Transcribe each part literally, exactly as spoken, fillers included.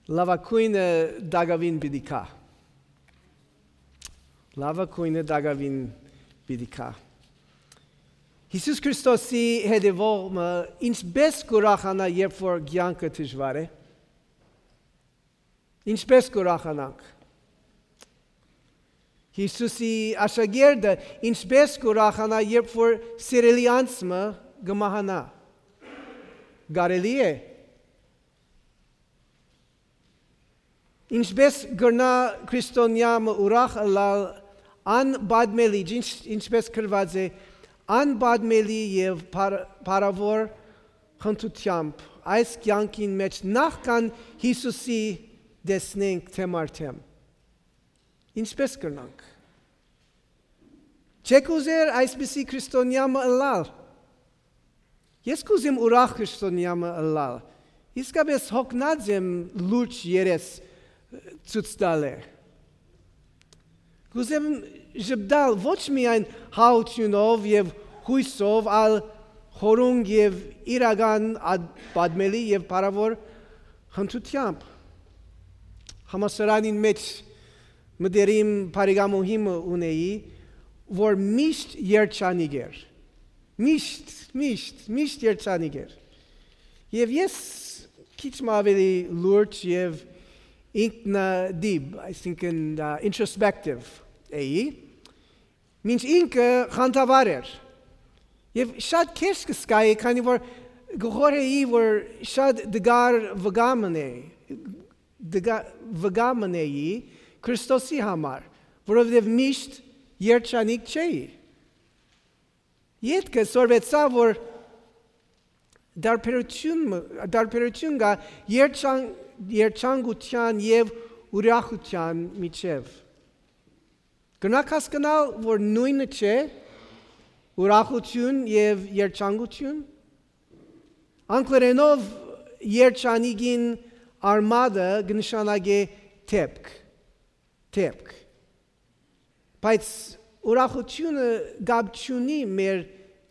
Լաւագոյնը տակաւին պիտի գայ։ Լաւագոյնը տակաւին պիտի գայ։ Յիսուս Քրիստոսի հետեւող մը ինչպէս կ'ուրախանայ, երբ որ կեանքը դժուար է։ Ինչպէս կ'ուրախանանք։ Յիսուսի աշակերտը ինչպէս կ'ուրախանայ, երբ որ սիրելի անձ մը կը մահանայ։ Կարելի՞ է։ Ինչպէս կրնայ քրիստոնեայ մը ուրախ ըլլալ անպատմելի, ինչ, ինչպէս գրուած է, անպատմելի եւ փառ-, փառաւոր խնդրութեամբ այս կեանքին մէջ, նախքան Յիսուսի տեսնենք դէմ առ դէմ։ Ինչպէս կրնանք։ Չէ՞ք ուզեր այսպիսի քրիստոնեայ մը ըլլալ։ Ես կ'ուզեմ ուրախ քրիստոնեայ մը ըլլալ։ Իսկապէս յոգնած եմ լուրջ երես ցոյց տալէ։ Կ'ուզեմ ժպտալ ոչ միայն հաութիւնով եւ յոյսով, այլ խորունկ եւ իրական ա-, պատմելի եւ փառաւոր խնդրութեամբ։ Համալսարանին մէջ մտերիմ բարեկամուհի մը ունէի, որ միշտ երջանիկ էր։ Միշտ, միշտ, միշտ երջանիկ էր։ Եւ ես քիչ մը ավելի լուրջ եւ ինքնատիպ, այսինքն, ա, introspective էի, մինչ ինքը խանդավառ էր։ Եւ շատ քեշ կը զգայի, քանի որ կը խորհէի, որ շատ դժուար վկայ մըն է, դժուար վկայ մըն էի Քրիստոսի համար, որովհետեւ միշտ երջանիկ չէի։ Ետքը սորվեցայ, որ տարբերութիւն մը, տարբերութիւն կայ երջան-, երջանկութեան եւ ուրախութեան միջեւ։ Կրնաք հասկնալ, որ նոյնը չէ ուրախութիւն եւ երջանկութիւն։ Անգլերէնով երջանիկին արմատը կը նշանակէ դէպք, դէպք։ Բայց ուրախութիւնը կապ չունի մեր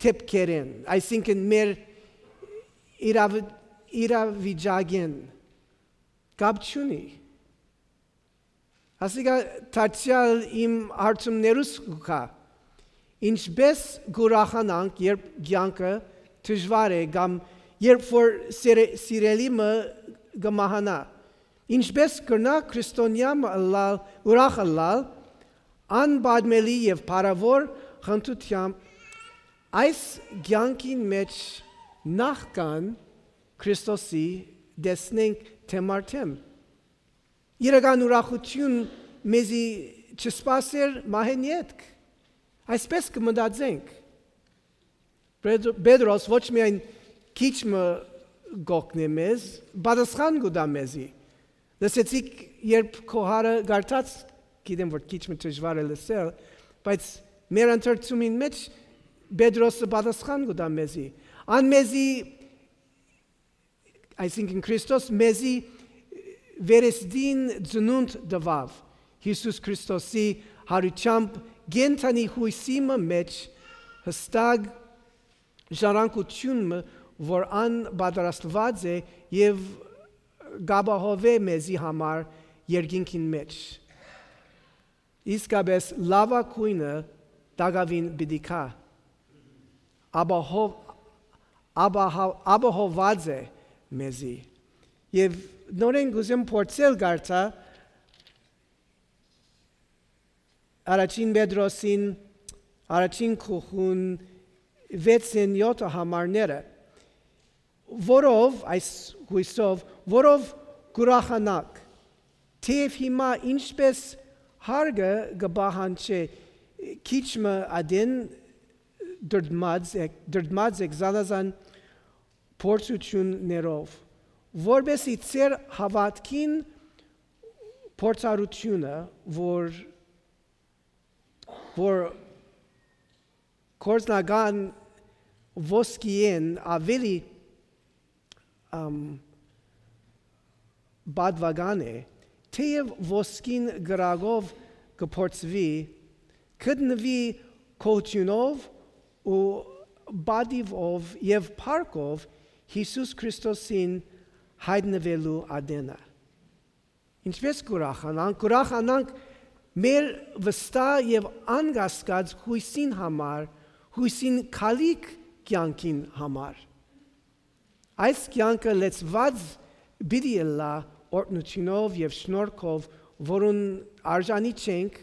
դէպքերէն, այսինքն մեր իրաւ-, իրավիճակէն կապ չունի։ Ասիկա դարձեալ իմ հարցումներուս կու գայ. ինչպէս կ'ուրախանանք, երբ կեանքը դժուար է կամ երբ որ սիրե-, սիրելի մը կը մահանայ։ Ինչպէս կրնայ քրիստոնեայ մը ըլլալ, ուրախ ըլլալ, անպատմելի եւ փառաւոր խնդրութեամբ այս կեանքին մէջ, նախքան Քրիստոսի տեսնենք դէմ առ դէմ։ Իրական ուրախութիւն մեզի չսպասեր մահէն ետք։ Այսպէս կը մտածենք։ Պետ-, Պետրոս ոչ միայն քիչ մը կ'օգնէ մեզ, պատասխան կու տայ մեզի։ Լսեցիք, երբ քո հարը կարդաց, գիտեմ որ քիչ մը դժուար է լսել, բայց մեր ընթերցումին մէջ Պետրոսը պատասխան կու տայ մեզի։ Ան մեզի, այսինքն Քրիստոս մեզի վերստին ծնունդ տուաւ Յիսուս Քրիստոսի յարութեամբ, կենդանի յոյսի մը մէջ, յստակ ժառանգութիւն մը, որ ան պատրաստուած է եւ կ'ապահովէ մեզի համար երկինքին մէջ։ Իսկապէս լաւագոյնը տակաւին պիտի գայ։ Ապահով-, ապահա-, ապահովուած է մեզի։ Եւ նորէն կ'ուզեմ փորձել կարդալ առաջին Պետրոսին, առաջին գլխուն վեցն յոթը համարները, որով, այս յոյսով, որով կ'ուրախանաք, թէեւ հիմա ինչպէս հարգը կը պահանջէ, քիչ մը ատեն դրդմած եք, դրդմած եք զանազան փորձութիւններով, որպեսզի ձեր հաւատքին փորձառութիւնը, որ, որ գործնական ոսկիէն աւելի, ամ, պատուական է, թէեւ ոսկին կրակով կը փորձուի, գտնուի գոհութիւնով ու պատիւով եւ փառքով Յիսուս Քրիստոսին յայտնուելու ատենը։ Ինչպէս կ'ուրախանանք, կ'ուրախանանք մեր վստահ եւ անկասկած յոյսին համար, յոյսին գալիք կեանքին համար։ Այս կեանքը լեցուած պիտի ըլլայ օրհնութիւնով եւ շնորհքով, որուն արժանի չենք,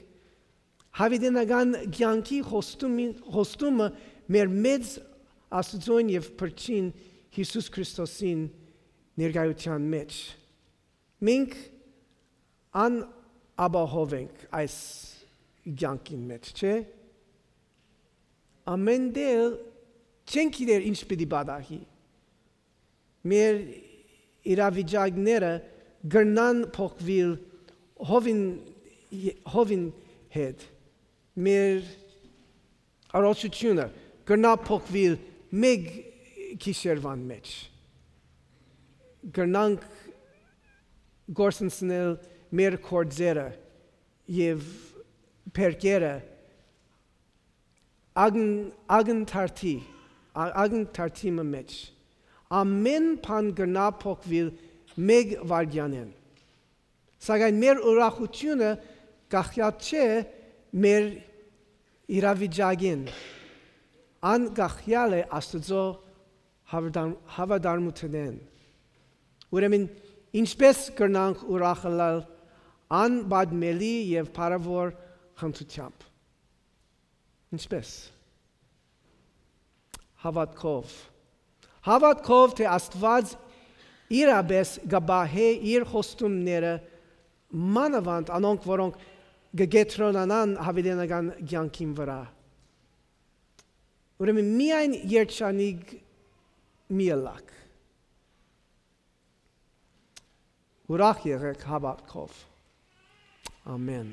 յաւիտենական կեանքի խոստումին, խոստումը մեր մեծ Աստուծոյն եւ Փրկչին Յիսուս Քրիստոսին ներկայութեան մէջ։ Մենք անապահով ենք այս կեանքին մէջ, չէ՞։ Ամեն տեղ չենք գիտեր ինչ պիտի պատահի։ Մեր իրավիճակները կրնան փոխուիլ հովին, հովին հետ։ Մեր առողջութիւնը կրնայ փոխուիլ մէկ գիշերուան մէջ։ Կրնանք կորսնցնել մեր գործերը եւ բերքերը ակն-, ակնթարթի, ա-, ակնթարթի մը մէջ։ Ամեն բան կրնայ փոխուիլ մէկ վայրկեանէն։ Սակայն մեր ուրախութիւնը կախեալ չէ մեր իրավիճակէն, ան կախեալ է Աստուծոյ հաւատամ-, հաւատարմութենէն։ Ուրեմն, ինչպէս կրնանք ուրախ ըլլալ անպատմելի եւ փառաւոր խնդրութեամբ։ Ինչպէս։ Հաւատքով։ Հաւատքով, թէ Աստուած իրապէս կը պահէ իր խոստումները, մանաւանդ անոնք, որոնք կը կեդրոնանան յաւիտենական կեանքին վրայ։ Ուրեմն, միայն երջանիկ մի ըլլաք։ Ուրախ եղէք հաւատքով։ Ամեն։